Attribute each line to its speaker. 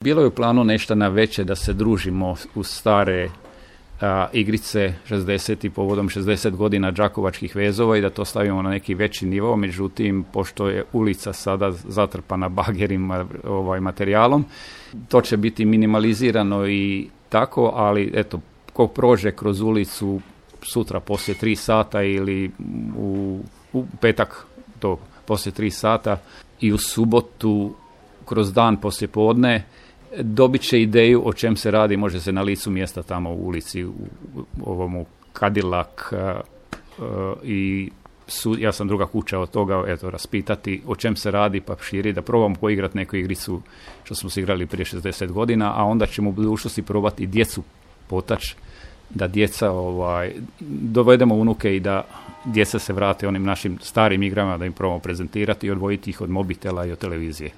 Speaker 1: Bilo je u planu nešto na veće da se družimo u stare igrice 60 i povodom 60 godina Đakovačkih vezova i da to stavimo na neki veći nivo, međutim, pošto je ulica sada zatrpana bagerima materijalom, to će biti minimalizirano i tako, ali eto, ko prođe kroz ulicu sutra poslije 3 sata ili u petak to poslije 3 sata i u subotu kroz dan poslije podne, dobit će ideju o čem se radi, može se na licu mjesta tamo u ulici u ovomu Cadillac i ja sam druga kuća od toga, eto, raspitati o čem se radi pa širi, da probamo poigrati neku igricu što smo se igrali prije 60 godina, a onda ćemo u budućnosti probati djecu potač, da djeca dovedemo unuke i da djeca se vrate onim našim starim igrama, da im probamo prezentirati i odvojiti ih od mobitela i od televizije.